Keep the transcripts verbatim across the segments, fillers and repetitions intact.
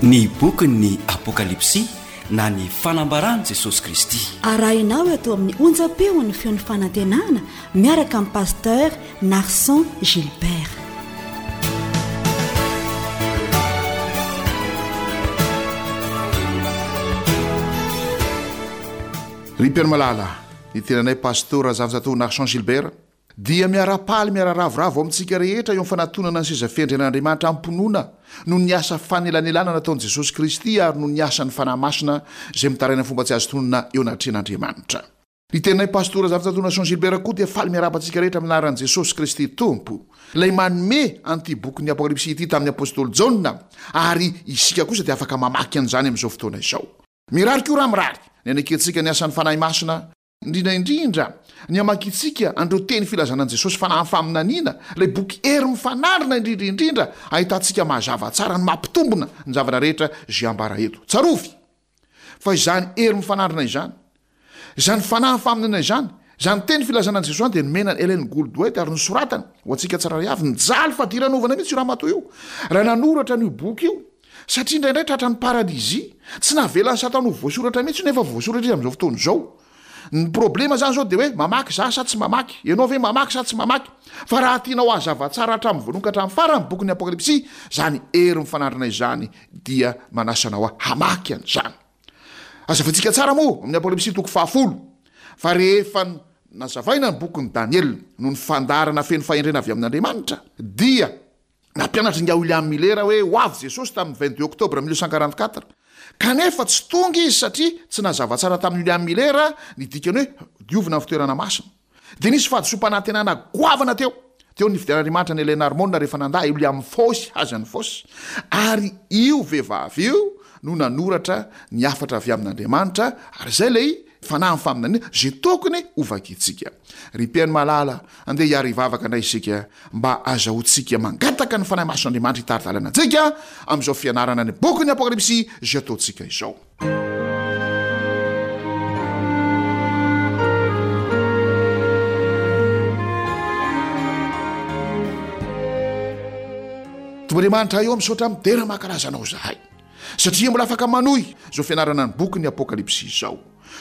Ny bokin'ny Apokalypsy na ny fanambaran'i Jesosy Kristy. Arahinao eto amin'ny onjam-peon'ny feon'ny fanantenana miaraka amin'ny Pasteur Narson Gilbert. Ry mpiara-malala, ny tenanay Pasteur Razafinjatovo Narson Gilbert dia miara-paly miara-ravoravo amintsika rehetra eo amin'ny fanatonana ny seza fiandrianan'Andriamanitra amim-pinoana noho ny asa fanelanelanana nataon'i Jesosy Kristy ary noho ny asan'ny Fanahy Masina izay mitaraina fomba tsy azo tononina eo anatrehan'Andriamanitra. Ny teninay Pastora Razafinjatovo Narson Gilbert koa dia faly miarahaba antsika rehetra amin'ny anaran'i Jesosy Kristy Tompo, ilay manome an'ity bokin'ny Apokalypsy ity tamin'ny Apostoly Jaona, ary isika kosa dia afaka mamaky an'izany amin'izao fotoana izao. Mirary koa raha mirary ny hanekentsika ny asan'ny Fanahy Masina, indrindra indrindra ny hamakintsika an'ireo teny filazana an'i Jesosy fanahy faminaniana, ilay boky hery mifanandrina indrindra indrindra ahitantsika mazava tsara ny mampitombina ny zavatra rehetra izay ambara eto. Tsarovy fa izany hery mifanandrina izany, izany fanahy faminaniana izany, izany teny filazana an'i Jesosy izany dia nomena an'i Ellen Gould White ary nosoratany ho antsika tsirairay avy. Nijaly fadiranovana mihitsy io ramatoa io raha nanoratra an'io boky io, satria indraindray tratran'ny paralysie, tsy navelan'i Satana ho voasoratra mihitsy io nefa voasoratra izy amin'izao fotoana izao. Ny problema zany zao dia hoe mamaky za sa tsy mamaky? Ianao ve mamaky sa tsy mamaky? Fa raha tianao hazava tsara hatramin'ny voalohany ka hatramin'ny farany ny bokin'ny Apokalypsy, izany hery mifanandrina izany dia manasa anao hamaky an'izany. Hazavaintsika tsara moa amin'ny Apokalypsy toko fahafolo fa rehefa nazavaina ny bokin'i Daniela noho ny fandaharana feno fahendrena avy amin'Andriamanitra dia Nampianatra ingahy William Miller hoe ho avy Jesosy tamin'ny vingt-deux octobre mille neuf cent quarante-quatre. Kanefa tsy tonga izy satria tsy nazava tsara tamin'i William Miller ny dikany hoe diovina ny fitoerana masina. Dia nisy fahadisoam-panantenana goavana teo. Teo ny nifidian'Andriamanitra an'i Ellen Harmon rehefa nandà i William Foss Hazen Foss. Ary io vehivavy io no nanoratra ny hafatra avy amin'Andriamanitra, ary izay ilay fanahin'ny faminaniana izay tokony hovakintsika. Ry mpihaino malala, andeha hiara-hivavaka indray isika mba hazahoantsika mangataka ny Fanahy Masin'Andriamanitra hitari-dalana antsika amin'izao fianarana ny bokin'ny Apokalypsy izay ataontsika izao. Tompo Andriamanitra eo, misaotra midera mankalaza Anao izahay satria mbola afaka manohy izao fianarana ny bokin'ny Apokalypsy izao.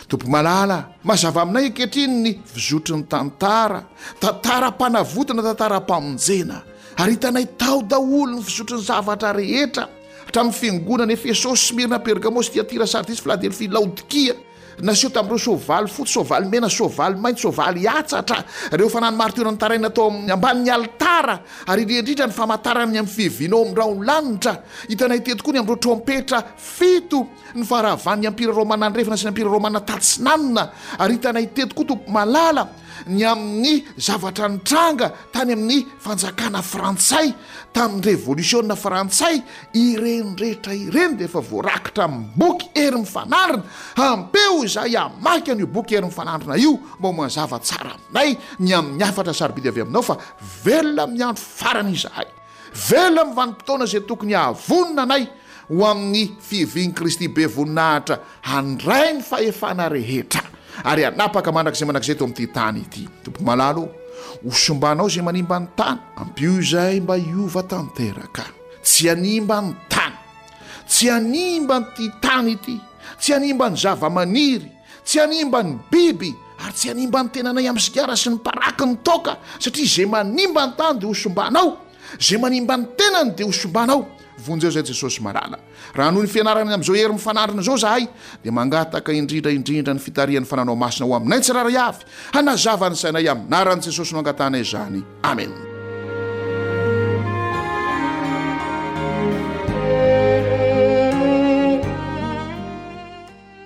Tompo malala, mazava aminay ankehitriny ny fizotry ny tantara, tantaram-panavotana, tantaram-pamonjena. Ary hitanay tao daholo ny fizotry ny zavatra rehetra, hatramin'ny fiangonana Efesosy, Smyrna, Pergamosy, Tyatira, Sardisy, Filadelfia, Laodikia. Naseho tamin'ireo soavaly fotsy, soavaly mena, soavaly mainty, soavaly hatsatra, ireo fanahy martiora nitaraina tao amin'ny ambanin'ny alitara, ary indrindra indrindra ny famantarany amin'ny fiavianao amin'ny rahon'ny lanitra. Hitanay teto koa ny amin'ireo trompetra fito, ny faharavan'ny Ampira Romana Andrefana sy ny Ampira Romana Tatsinanana, ary hitanay teto koa, Tompo malala, ny amin'ny zavatra nitranga tany amin'ny fanjakana frantsay tamin'ny revolisiona frantsay. Ireny rehetra ireny dia efa voarakitra amin'ny boky Hery Mifanandrina. Ampeo izahay hamaky an'io boky Hery Mifanandrina io mba ho mazava tsara aminay ny amin'ny hafatra sarobidy avy aminao fa velona amin'ny andro farany izahay. Velona amin'ny vanim-potoana izay tokony hahavonona anay ho amin'ny fiavian'i Kristy be voninahitra handray ny fahefana rehetra ary hanapaka mandrakizay mandrakizay eto amin'ity tany ity. Tompo malala ô, ho simbanao izay manimba ny tany, ampio izahay mba hiova tanteraka, tsy hanimba ny tany, tsy hanimba an'ity tany ity, tsy hanimba ny zava-maniry, tsy hanimba ny biby, ary tsy hanimba ny tenanay amin'ny sigara sy ny paraky ny toaka, satria izay manimba ny tany dia ho simbanao, izay manimba ny tenany dia ho simbanao. Vonjeo izay Jesosy malala. Raha noho ny fianarana amin'izao hery mifanandrina izao izahay, dia mangataka indrindra indrindra ny fitarihan'ny Fananao Masina ho aminay tsirairay avy, hanazava ny sainay amin'ny anaran'i Jesosy no angatahanay izany. Amen.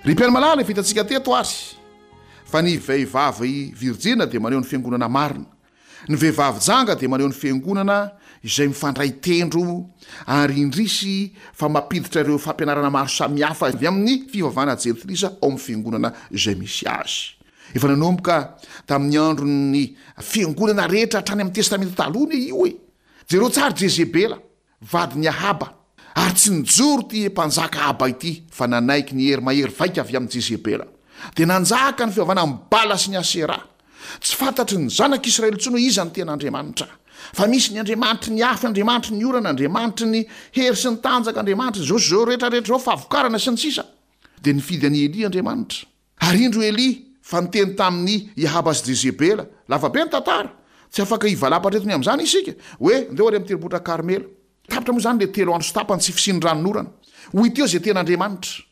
Ry mpihaino malala, efa hitantsika teto ary fa ny vehivavy virjina dia maneho ny fiangonana marina. Ny vehivavy janga dia maneho ny fiangonana izay mifandray tendro ary indrisy fa mampiditra ireo fampianarana maro samihafa avy amin'ny fivavahana jentilisa ao amin'ny fiangonana izay misy azy. Efa nanomboka tamin'ny andron'ny fiangonana rehetra hatrany amin'ny Testamenta Taloha anie io e! Jereo tsara Jezebela. vadin'i Ahaba, ary tsy nijoro ity mpanjaka Ahaba ity, fa nanaiky ny hery mahery vaika avy amin'i Jezebela. Dia nanjaka ny fivavahana amin'i Bala sy ny Aseraha. Tsy fantatry ny zanak'Israely intsony hoe iza no tena Andriamanitra. Fa misy ny Andriamanitry ny afo, Andriamanitry ny orana, Andriamanitry ny hery sy ny tanjaka, Andriamanitry izao sy izao rehetra rehetra izao, fahavokarana sy ny sisa. Dia nifidy an'i Elia Andriamanitra. Ary indro Elia fa niteny tamin'i Ahaba sy Jezebela, lava be ny tantara, tsy afaka hivalapatra eto ny amin'izany isika, hoe ndeo ary amin'ny tendrombohitra Karmela. Tapitra moa izany ilay telo andro sy tapany tsy fisian'ny ranonorana. Ho hita eo izay tena Andriamanitra.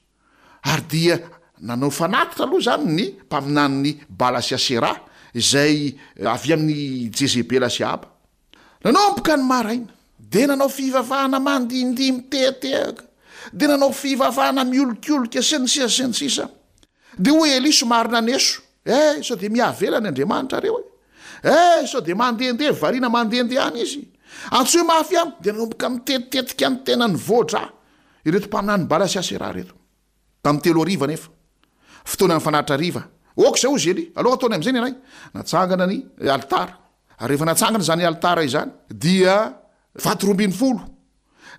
Ary dia nanao fanatitra aloha izany ny mpaminanin'i Bala sy Aseraha, izay avy amin'i Jezebela sy Ahaba. Nanomboka ny maraina, dia nanao fivavahana mandihindihy mitehatehaka, dia nanao fivavahana miolikolika, sy ny sisa sy ny sisa. Dia hoy Elia somary naneso, Eh, sao dia mihavela ny Andriamanitrareo e! Eh, sao dia mandehandeha, variana mandehandeha any izy. Antsoy mafy ihany, dia nanomboka nitetitetika ny tenany voadra ireto mpaminany Bala sy Aseraha ireto. Tamin'ny telo hariva anefa, fotoanan'ny fanatitra hariva, ok izay hozy Elia, aleo ataony amin'izay ny anay. Natsangana ny alitara, ary rehefa natsangana izany alitara izany, dia vato roa ambin'ny folo,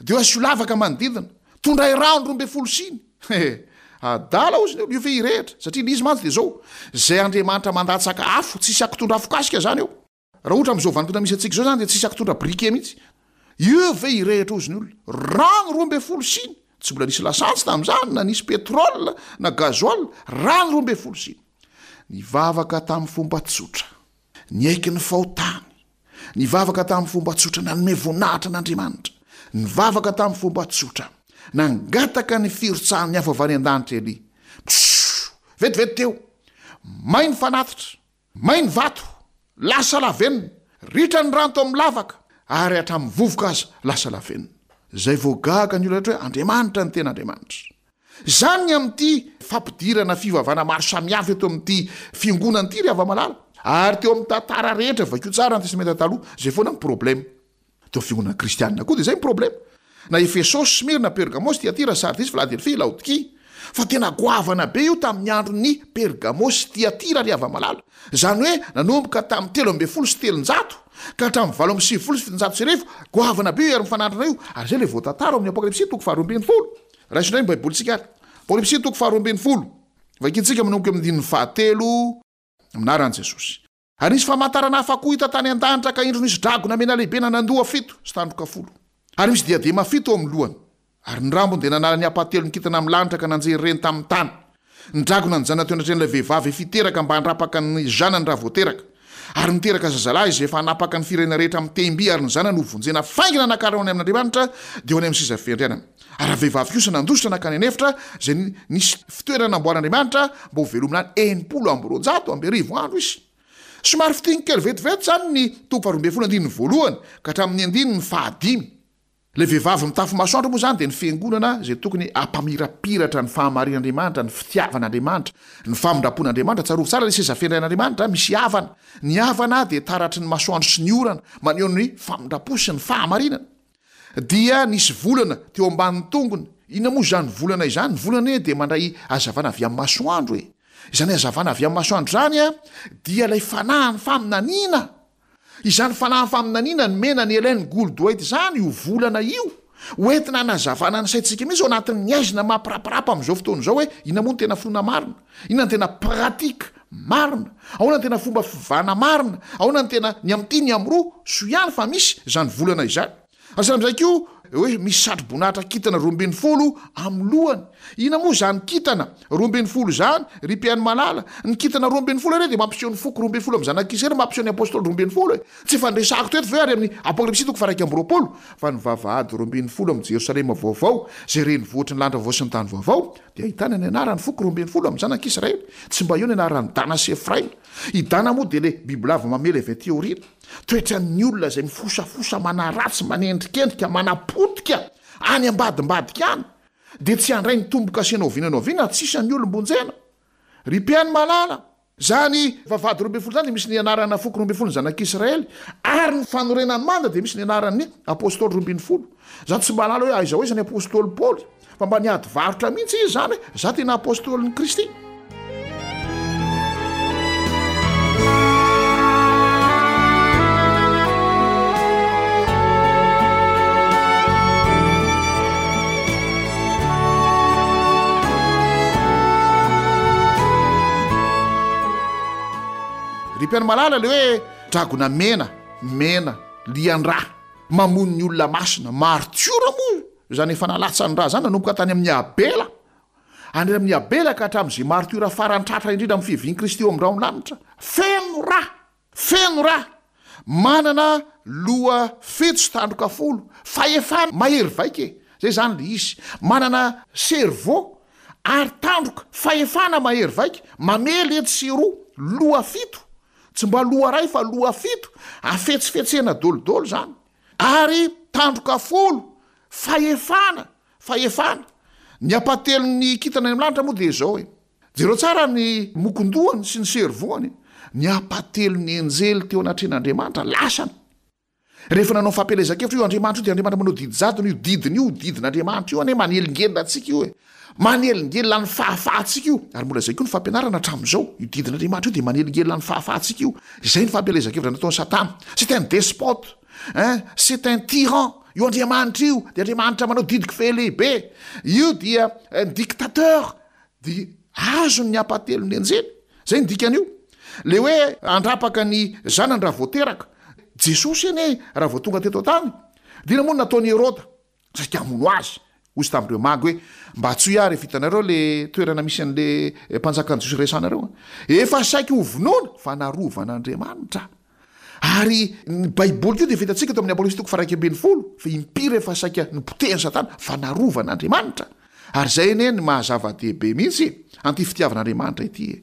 dia asio lavaka manodidina, tondray rano roa ambin'ny folo siny. He, adala hozy ny olona, io ve hirehitra? Satria ilay izy mantsy dia izao, izay Andriamanitra mandatsaka afo, tsisy akitondra afokasika izany eo. Raha ohatra amin'izao vanim-potoana misy antsika izao izany dia tsisy akitondra briquet mihitsy. Io ve hirehitra hozy ny olona? Rano roa ambin'ny folo siny, tsy mbola nisy lasantsy tamin'izany, na nisy pétrole, na gasoil, rano roa ambin'ny folo siny. Nivavaka tamin'ny fomba tsotra, niaiky ny fahotany, nivavaka tamin'ny fomba tsotra, nanome voninahitra an'Andriamanitra, nivavaka tamin'ny fomba tsotra, nangataka ny firotsahan'ny afo avy any an-danitra Elia. Pshoo! Vetivety teo, may ny fanatitra. May ny vato, lasa lavenona, ritra ny rano tao amin'ny lavaka, ary hatramin'ny vovoka aza lasa lavenona. Izay vao gaga ny olona rehetra hoe Andriamanitra ny tena Andriamanitra. Izany ny amin'ity fampidirana fivavahana maro samihafa eto amin'ity fiangonana ity ry hava-malala. Ary teo amin'ny tantara rehetra, vakio tsara ny Testamenta Taloha, izay foana ny problème. Teo fiangonana kristianina koa dia izay ny problema. Na Efesosy, Smyrna, Pergamosy, Tyatira, Sardisy, Filadelfia, Laodikia. Fa tena goavana be io tamin'ny andron'ny Pergamosy sy Tyatira ry hava-malala. Izany hoe nanomboka tamin'ny telo ambin'ny folo sy telonjato ka hatramin'ny valo amby sivifolo sy fitonjato sy arivo, goavana be io hery mifanandrina io. Ary izay ilay voatantara ao amin'ny Apokalypsy toko faharoa ambin'ny folo. Raiso indray ny Baibolintsika ary. Apokalypsy toko faharoa ambin'ny folo. Vakintsika manomboka amin'ny andininy fahatelo amin'ny anaran'i Jesosy. Ary nisy famantarana hafa koa hita tany an-danitra, ka indro nisy dragona mena lehibe nanan-doha fito sy tandroka folo, ary misy diadema fito eo amin'ny lohany. Ary ny rambony dia nanala ny ampahatelon'ny kintana amin'ny lanitra ka nanjery ireny tamin'ny tany. Ny dragona nijanona teo anatrehan'ilay vehivavy efa hiteraka mba handrapaka ny zanany raha vao teraka. Ary niteraka zazalahy izay efa hanapaka ny firenena rehetra amin'ny tehim-by, ary ny zanany hovonjena faingana nakarina ho any amin'Andriamanitra, dia ho any amin'ny seza fiandrianana. Ary ravehivavy kosa nandositra nankany an'efitra, izay nisy fitoerana namboarin'Andriamanitra mba ho velomina any enimpolo amby roanjato amby arivo andro izy. Somary fitiny kely vetivety izany ny toko faharoa ambin'ny folo andininy voalohany ka hatramin'ny andininy fahadimy. Ilay vehivavy mitafy masoandro moa izany dia ny fiangonana izay tokony hampamirapiratra ny fahamarin'Andriamanitra, ny fitiavan'Andriamanitra, ny famindram-pon'Andriamanitra. Tsarovy tsara ilay seza fiandrian'Andriamanitra misy avana. Ny avana dia taratry ny masoandro sy ny orana, maneho ny famindram-po sy ny fahamarinana. Dia nisy volana teo ambanin'ny tongony. Inona moa izany volana izany? Ny volana anie dia mandray hazavana avy amin'ny masoandro e. Izany hazavana avy amin'ny masoandro izany dia ilay fanahin'ny faminaniana. Izany fanahin'ny faminaniana nomena an'i Ellen Gould White izany io volana io, ho entina hanazavana ny saintsika mihitsy ao anatin'ny haizina mampiraparapa amin'izao fotoana izao hoe inona moa no tena finoana marina, inona no tena pratique marina, ahoana no tena fomba fivavahana marina, ahoana no tena ny amin'ity ny amin'roa, soa ihany fa misy izany volana izany. Asa amin'izay koa hoe misy satroboninahitra kintana roa ambin'ny folo amin'ny lohany. Inona moa izany kintana roa ambin'ny folo izany, ry mpihaino malala? Ny kintana roa ambin'ny folo anie dia mampiseho ny foko roa ambin'ny folo amin'ny zanak'Israely, mampiseho ny apostoly roa ambin'ny folo e. Tsy efa niresahako teto ve ary amin'ny Apokalypsy toko faha-iraika amby roapolo fa ny vavahady roa ambin'ny folo amin'i Jerosalema vaovao, izay renivohitry ny lanitra vaovao sy ny tany vaovao, dia ahitana ny anaran'ny foko roa ambin'ny folo amin'ny zanak'Israely. Tsy mba eo ny anaran'i Dana sy Efraima. I Dana moa dia ilay bibilava mamely avy aty aoriana. Toetran'ny olona izay mifosafosa, manaratsy, manendrikendrika, manapotika any ambadimbadika any, dia tsy handray ny tombo-kase na oviana na oviana, tsy isan'ny olom-bonjena. Ry mpihaino malala, izany vavahady roa ambin'ny folo izany dia misy ny anarana foko roa ambin'ny folo ny zanak'Israely, ary ny fanorenan'ny manda dia misy ny anaran'ny apostoly roa ambin'ny folo. Za tsy mahalala hoe aiza ho aiza ny apostoly Paoly, fa mba niady varotra mihitsy izy izany hoe za tena apostolin'i Kristy. Ry mpihaino malala, le hoe dragona mena, mena. lian-drà, mamono ny olona masina, martiora moa izany efa nalatsan'ny rà izany nanomboka tany amin'i Abela, any amin'i Abela ka hatramin'izay martiora farany tratra indrindra amin'ny fiavian'i Kristy eo amin'ny rahon'ny lanitra. Feno rà! Feno rà! Manana loha fito sy tandroka folo, fahefana mahery vaika e! Zay izany le izy. Manana cerveau ary tandroka, fahefana mahery vaika, mamely etsy sy eroa, loha fito, tsy mba loha iray fa loha fito, afetsifetsena dolidoly izany, ary tandroka folo, fahefana, fahefana. Ny ampahatelon'ny kintana any amin'ny lanitra moa dia izao e. Jereo tsara ny mokon-dohany sy ny cerveau-ny, ny ampahatelon'ny anjely teo anatrehan'Andriamanitra lasany. Rehefa nanao fampielezan-kevitra io Andriamanitra io dia Andriamanitra manao didy jadona io didiny io, didin'Andriamanitra io anie manelingelina antsika io e. Manelingelina ny fahafahantsika io. Ary mbola izay koa ny fampianarana hatramin'izao. Io didin'Andriamanitra io dia manelingelina ny fahafahantsika io. Izay ny fampielezan-kevitra nataon'i Satana. C'est un despote, hein, c'est un tyran. Io Andriamanitra io dia Andriamanitra manao didy kifehy lehibe. Io dia un dictateur. Dia azony ny ampahatelon'ny anjely. Izay ny dikan'io. Ilay hoe handrapaka ny zanany raha vao teraka. Jesosy anie raha vao tonga teto an-tany, dia inona moa no nataon'i Heroda? Saika hamono azy. Hoy izy tamin'ireo magy hoe, Mba antsoy ahy rehefa hitanareo ilay toerana misy an'ilay mpanjakan'ny Jiosy resahanareo. Efa saika hovonoina fa narovan'Andriamanitra. Ary ny Baiboly koa dia efa hitantsika tao amin'ny Apokalypsy toko faha-iraika ambin'ny folo fa impiry efa saika nopotehin'i Satana fa narovan'Andriamanitra. Ary izay anie ny maha zava-dehibe mihitsy an'ity fitiavan'Andriamanitra ity e.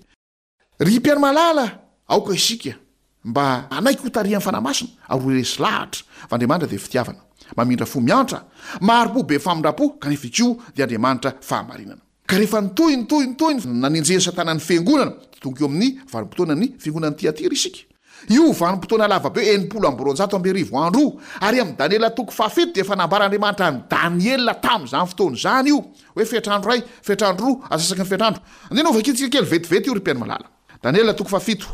Ry mpihaino malala, aoka isika mba hanaiky hotarihan'ny Fanahy Masina ary ho resy lahatra fa Andriamanitra dia fitiavana, mamindra fo miantra, mahari-po be famindram-po kanefa koa dia Andriamanitra fahamarinana. Ka rehefa nitohy, nitohy, nitohy ny nanenjehan'i Satana ny Fiangonana, dia tonga eo amin'ny vanim-potoanan'ny Fiangonan'i Tyatira isika. Io vanim-potoana lava be enimpolo amby roanjato amby arivo andro io, ary amin'i Daniela toko fahafito dia efa nambaran'Andriamanitra an'i Daniela tamin'izany fotoana izany io, hoe fetr'andro iray, fetr'andro roa, antsasaky ny fetr'andro. Andeha novakintsika kely vetivety io ry mpihaino malala. Daniela toko fahafito.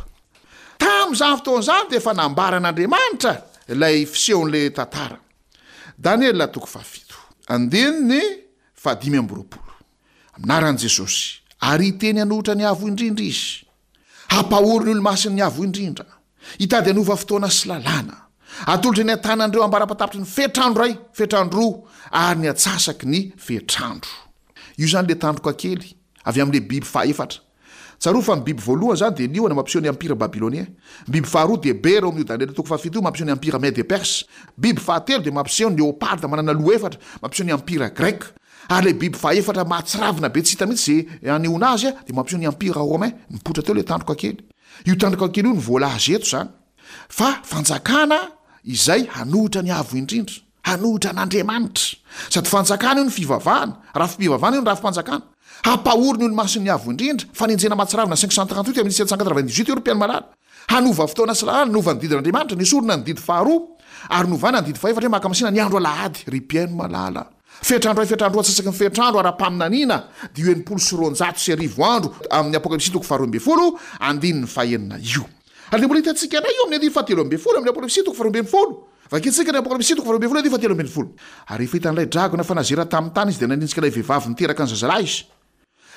Tamin'izany fotoana izany dia efa nambaran'Andriamanitra ilay fisehon'ilay tantara. Daniela toko fahafito, andininy fahadimy amby roapolo. Amin'ny anaran'i Jesosy, ary hiteny hanohitra ny Avo Indrindra izy. Hampahory ny olo-masin'ny Avo Indrindra. Hitady hanova fotoana sy lalàna. Atolotra eny an-tanan'ireo ambara-patapitry ny fetr'andro iray, fetr'andro roa, ary ny atsasaky ny fetr'andro. Io izany ilay tandroka kely, avy amin'ilay biby fahaefatra. Tsarovy fa ny biby voalohany izany dia liona mampiseho ny Empire Babylonien. Ny biby faharoa dia bera ao amin'io Daniela toko fahafito io mampiseho ny Empire Mède et Perse. Biby fahatelo dia mampiseho ny leoparda manana loha efatra mampiseho ny Empire Grec. Ary ilay biby fahefatra mahatsiravina be tsy hita mihitsy izay anehoana azy dia mampiseho ny Empire Romain. Nipoitra teo ilay tandroka kely. Io tandroka kely io no voalaza eto izany fa fanjakana izay hanohitra ny Avo Indrindra. Hanohitra an'Andriamanitra. Sady fanjakana io ny fivavahana, rafi-pivavahana io ny rafi-panjakana. Hampahory ny olo-masin'ny Avo Indrindra, fanenjehana mahatsiravina cinq cent trente-huit à mille sept cent quatre-vingt-dix-huit io ry mpihaino malala. Hanova fotoana sy lalàna, hanova ny didin'Andriamanitra, nesorina ny didy faharoa, ary novana ny didy fahefatra hoe mankamasina ny andro alahady, ry mpihaino malala. Fetr'andro iray, fetr'andro roa, antsasaky ny fetr'andro ara-paminaniana dia io enimpolo sy roanjato sy arivo andro amin'ny Apokalypsy toko faharoa ambin'ny folo, andininy fahenina io. Ary dia mbola hitantsika indray io amin'ny andininy fahatelo ambin'ny folo amin'ny Apokalypsy toko faharoa ambin'ny folo. Vakintsika ny Apokalypsy toko faharoa ambin'ny folo andininy fahatelo ambin'ny folo. Ary rehefa hitan'ilay dragona fa nazera tamin'ny tany izy dia nanenjika ilay vehivavy niteraka ny zazalahy izy.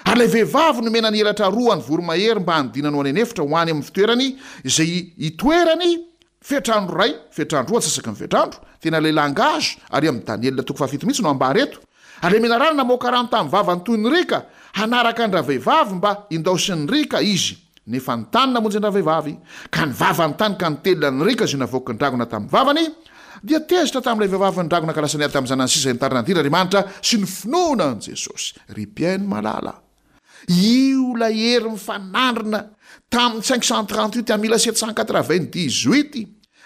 Ary ilay vehivavy nomena ny elatra roa an'ny voromahery mba hanidinany ho any an'efitra ho any amin'ny fitoerany izay hitoerany fetr'andro iray, fetr'andro roa, antsasaky ny fetr'andro. Tena ilay langage ary amin'i Daniela toko fahafito mihitsy no ambara eto. Ary ilay menarana namoaka rano tamin'ny vavany toy ny riaka hanaraka an-dravehivavy mba hindaosin'ny riaka izy. Nefa ny tany namonjy an-dravehivavy, ka ny vavan'ny tany ka nitelina ny riaka izay navoaky ny dragona tamin'ny vavany, dia tezitra tamin'ilay vehivavy ny dragona ka lasa niady tamin'ny zanany sisa izay nitarina ny dirin'Andriamanitra sy ny finoana an'i Jesosy. Ry mpihaino malala, io ilay hery mifanandrina tamin'ny cinq cent trente-huit à mille sept cent quatre-vingt-dix-huit.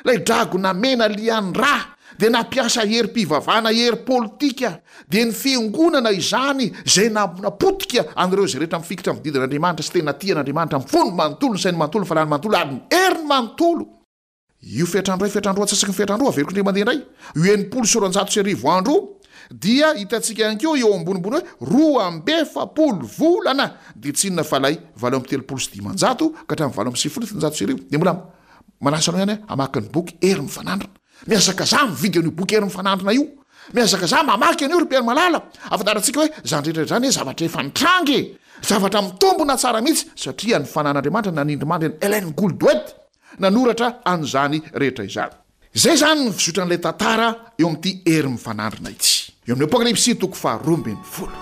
Ilay dragona mena lian-drà dia nampiasa herim-pivavahana, hery politika, dia ny fiangonana izany izay napotika an'ireo izay rehetra mifikitra amin'ny didin'Andriamanitra sy tena tia an'Andriamanitra amin'ny fony manontolo, ny sainy manontolo, ny fanahiny manontolo ary ny heriny manontolo. Io fetr'andro iray, fetr'andro roa, antsasaky ny fetr'andro, averiko indray mandeha indray, io enimpolo sy roanjato sy arivo andro io dia hitantsika ihany koa eo ambonimbony hoe roa amby efapolo volana, dia tsy inona fa ilay valo amby telopolo sy dimanjato ka hatramin'ny valo amby sivifolo sy fitonjato sy arivo, dia mbola Manasa anao ihany aho hamaky ny boky Hery Mifanandrina. Mihazakazaha mividy an'io boky Hery Mifanandrina io. Mihazakazaha mamaky an'io ry Mpihaino malala. Ahafantarantsika hoe izany rehetra izany zavatra efa nitranga e! Zavatra mitombina tsara mihitsy satria ny fanan'Andriamanitra nanindrimandry an'i Ellen Gould White nanoratra an'izany rehetra izany. Izay izany ny fizotran'ilay tantara eo amin'ity hery mifanandrina ity. Eo amin'ny Apokalypsy toko faharoa ambin'ny folo.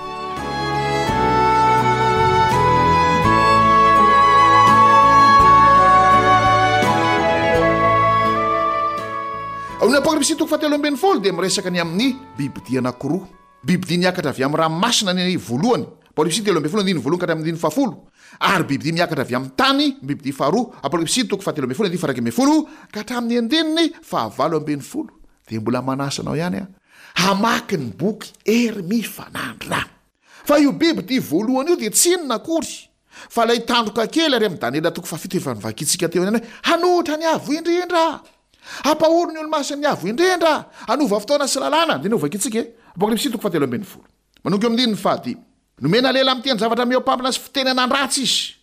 Ao amin'ny Apokalypsy toko fahatelo ambin'ny folo dia miresaka ny amin'ny bibidia anankiroa. Bibidia niakatra avy amin'ny ranomasina ny voalohany, Apokalypsy telo ambin'ny folo andininy voalohany ka hatramin'ny andininy fahafolo, ary bibidia miakatra avy amin'ny tany, ny bibidia faharoa, Apokalypsy toko fahatelo ambin'ny folo andininy faha-iraika ambin'ny folo ka hatramin'ny andininy fahavalo ambin'ny folo. Dia mbola manasa anao ihany aho hamaky ny boky Hery Mifanandrina. Fa io bibidia voalohany io dia tsy inona akory fa ilay tandroka kely ary amin'ny Daniela toko fahafito efa novakintsika teo ihany hoe hanohitra ny Avo Indrindra, hampahory ny olo-masin'ny Avo Indrindra, hanova fotoana sy lalàna. Dia novakintsika e, Apokalypsy toko fahatelo ambin'ny folo manomboka eo amin'ny andininy fahadimy. Nomena lela miteny zavatra mihoa-pampana sy fitenenana-dratsy izy.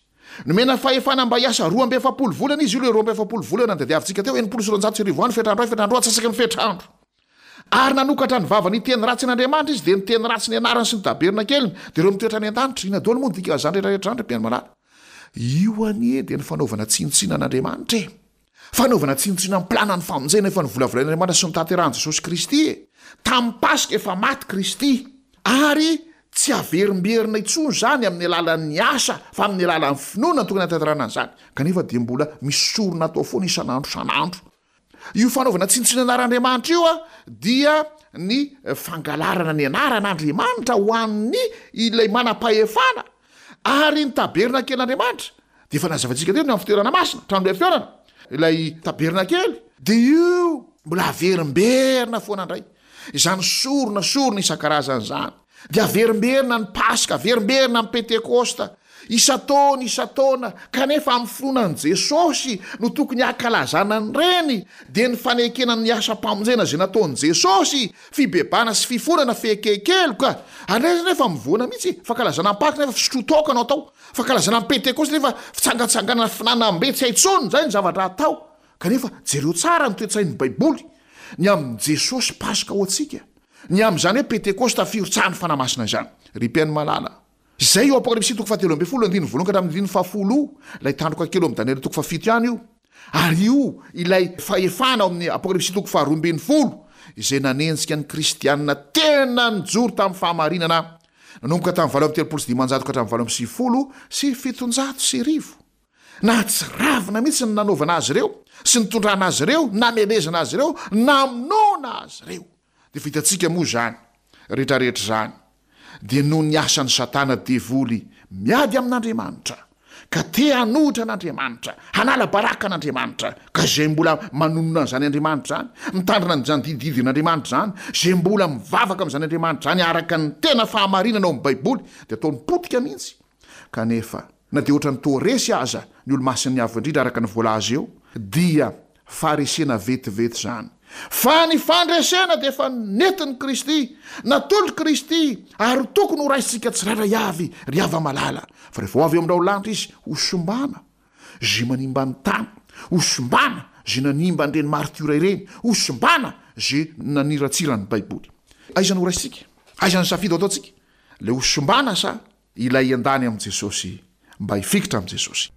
Nomena fahefana mba hiasa roa amby efapolo volana izy, io ilay roa amby efapolo volana notadiavintsika teo, enimpolo sy roanjato sy arivo andro, fetrandro iray, fetrandro roa, antsasaky ny fetrandro. Ary nanokatra ny vavany hiteny ratsy an'Andriamanitra izy, dia niteny ratsy ny anarany sy ny tabernakeliny, dia ireo mitoetra any an-danitra. Inona daholo moa ny dikan'izany rehetra rehetra izany, ry mpihaino malala? Io anie dia ny fanaovana tsinontsinona an'Andriamanitra e! Fanaovana tsinontsinona ny planan'ny famonjena efa novolavolain'Andriamanitra sy notanterahin'i Jesosy Kristy e! Tamin'ny Paska efa maty Kristy, ary tsy averimberina intsony izany amin'ny alalan'ny asa fa amin'ny alalan'ny finoana no tokony hahatanterahana an'izany, kanefa dia mbola misy sorona atao foana isan'andro isan'andro. Io fanaovana tsinontsinona anaran'Andriamanitra io dia ny fangalarana ny anaran'Andriamanitra ho an'ny ilay manam-pahefana ary ny tabernakelin'Andriamanitra dia efa nazavaintsika teo ny amin'ny fitoerana masina, trano lay fihaonana, ilay tabernakely, dia io mbola averimberina foana indray izany sorona sorona isan-karazany izany, dia averimberina ny Paska, averimberina ny Pentekosta, isan-taona isan-taona, kanefa amin'ny finoana an'i Jesosy no tokony hankalazana an'ireny, dia ny fanekena ny asam-pamonjena izay nataon'i Jesosy, fibebahana sy fifonana, fieken-keloka, ary nefa nefa mivoana mihitsy, fankalazana ny Paka nefa fisotroan-toaka no atao, fankalazana ny Pentekosta nefa fitsangatsanganana finanam-be tsy hay intsony, izay ny zavatra atao, kanefa jereo tsara ny toe-tsain'ny Baiboly ny amin'i Jesosy Paska ho antsika. Ny amin'izany hoe Pentekosta firotsahan'ny Fanahy Masina izany, ry mpihaino malala. Izay io Apokalypsy toko fahatelo ambin'ny folo andininy voalohany ka hatramin'ny andininy fahafolo io, ilay tandroka kely ao amin'ny Daniela toko fahafito ihany io, ary io ilay fahefana ao amin'ny Apokalypsy toko faharoa ambin'ny folo, izay nanenjika ny Kristianina tena nijoro tamin'ny fahamarinana nanomboka tamin'ny valo amby telopolo sy dimanjato ka hatramin'ny valo amby sivifolo sy fitonjato sy arivo. Nahatsiravina mihitsy ny nanaovana azy ireo sy nitondrana azy ireo, namelezana azy ireo, namonoana azy ireo. Dia efa hitantsika moa izany rehetrarehetra izany dia noho ny asan'i Satana devoly miady amin'Andriamanitra ka te hanohitra an'Andriamanitra, hanala baraka an'Andriamanitra, ka izay mbola manonona an'izany Andriamanitra izany, mitandrina an'izany didididin'Andriamanitra izany, izay mbola mivavaka amin'izany Andriamanitra izany araka ny tena fahamarinana ao amin'ny Baiboly dia ataony potika mihitsy. Kanefa, na dia ohatran'ny toa resy aza ny olo-masin'ny Avo Indrindra araka ny voalaza eo, dia faharesena vetivety izany. Fa ny fandresena dia efa nentin'i Kristy, natolotr'i Kristy, ary tokony ho raisintsika tsirairay avy, ry hava-malala. Fa rehefa ho avy eo amin'ny raolanitra Izy, hosimbana izay manimba ny tany, hosimbana izay nanimba an'ireny maritiora ireny, hosimbana izay naniratsira ny Baiboly. Aiza no horaisintsika? Aiza ny safidy ho ataontsika? Ilay hosimbana sa ilay hiandany amin'i Jesosy mba hifikitra amin'i Jesosy?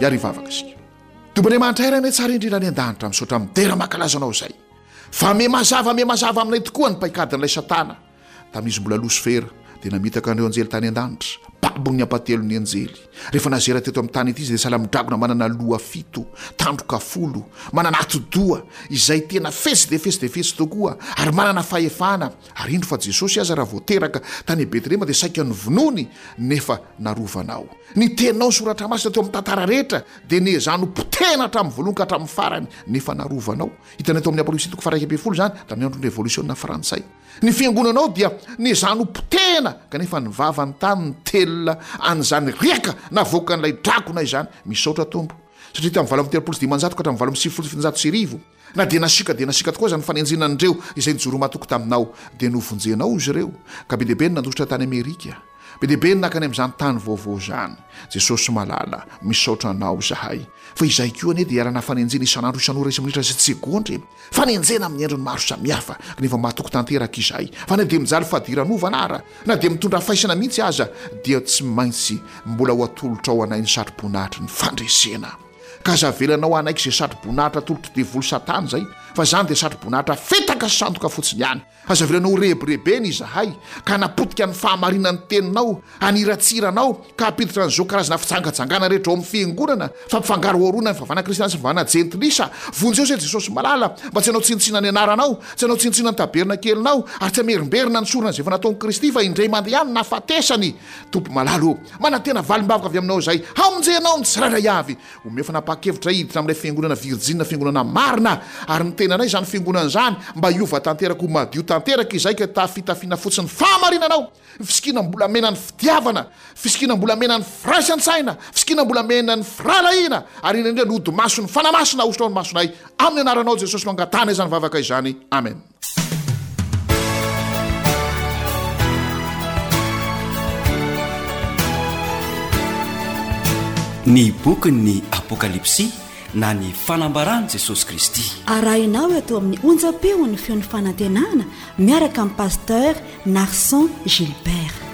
Hiary hivavaka isika. Tompo Andriamanitra Ray Rainay tsara indrindra any an-danitra, misaotra midera mankalaza Anao izay. Fa me mazava me mazava aminay tokoa ny paikadin'ilay Satana. Tamin'izy mbola Losifera, dia namitaka an'ireo anjely tany an-danitra. Babon'ny ampahatelon'ny anjely. Rehefa nazera teto amin'ny tany ity izy, dia sahala amin'ny dragona manana loha fito, tandroka folo, manana atidoha, izay tena fetsy dia fetsy dia fetsy tokoa, ary manana fahefana. Ary indro fa Jesosy aza raha vao teraka tany Betlehema dia saika novonoiny, nefa narovanao. Ny teninao ny Soratra Masina teo amin'ny tantara rehetra dia nezahany ho potehina hatramin'ny voalohany ka hatramin'ny farany, nefa narovanao. Hitanay tao amin'ny Apokalypsy toko faha-iraika ambin'ny folo izany, tamin'ny andron'ny Revolisiona Frantsay. Ny fiangonanao dia nezahany ho potehina, kanefa ny vavany tany nitelina an'izany riaka navoakan'ilay dragona izany. Misaotra Tompo, satria tamin'ny valo amby telopolo sy dimanjato ka hatramin'ny valo amby sivifolo sy fitonjato sy arivo, na dia nasiaka dia nasiaka tokoa aza ny fanenjehana an'ireo izay nijoro matoky taminao, dia novonjenao izy ireo, ka be dia be ny nandositra tany Amerika. Be dia be ny nankany amin'izany tany vaovao izany. Jesosy malala, misaotra Anao izahay. Fa izahay koa anie dia iharana fanenjehana isan'andro, isan'ora, isa-minitra sy segondra e! Fanenjehana amin'ny endriny maro samihafa, kanefa matoky tanteraka izahay fa na dia mijaly fadiranovana ara, na dia mitondra faisana mihitsy aza, dia tsy maintsy mbola ho atolotrao anay ny satroboninahitry ny fandresena. Ka aza avelanao hanaiky izay satroboninahitra atolotr'i devoly satana izay, fa izany dia satroboninahitra fetaka sy sandoka fotsiny ihany. Aza avelanao ho rebirebena izahay, ka hanapotika ny fahamarinan'ny Teninao, haniratsira Anao, ka hampiditra an'izao karazana fijangajangana rehetra ao amin'ny Fiangonana, fampifangaroharoana ny fivavahana kristiana sy fivavahana jentilisa. Vonjeo izay Jesosy malala, mba tsy hanao tsinontsinona ny Anaranao, tsy hanao tsinontsinona ny tabernakelinao, ary tsy hamerimberina ny sorona izay efa nataon'i Kristy, fa indray mandeha ihany no nahafatesany. Tompo malala ô, manantena valim-bavaka avy Aminao izahay, hamonjenao ny tsirairay avy. Omeo fanapahan-kevitra hiditra amin'ilay fiangonana virjina, fiangonana marina, ary ny tenanay izany fiangonana izany, mba hiova tanteraka ho madio tanteraka izahay ka hitafy fitafiana fotsy ny fahamarinanao, ny fisikinam-bolamena ny fitiavana, fisikinam-bolamena ny firaisan-tsaina, fisikinam-bolamena ny firahalahiana, ary indrindra indrindra ny hodi-mason'ny Fanahy Masina ahosotra ao ny masonay. Amin'ny anaranao Jesosy no angatahana izany vavaka izany. Amen. Ny bokin'ny Apokalypsy na ny fanambaran'i Jesosy Kristy. Arahinao eto amin'ny onjam-peon'ny feon'ny fanantenana miaraka amin'ny Pasteur Narson Gilbert.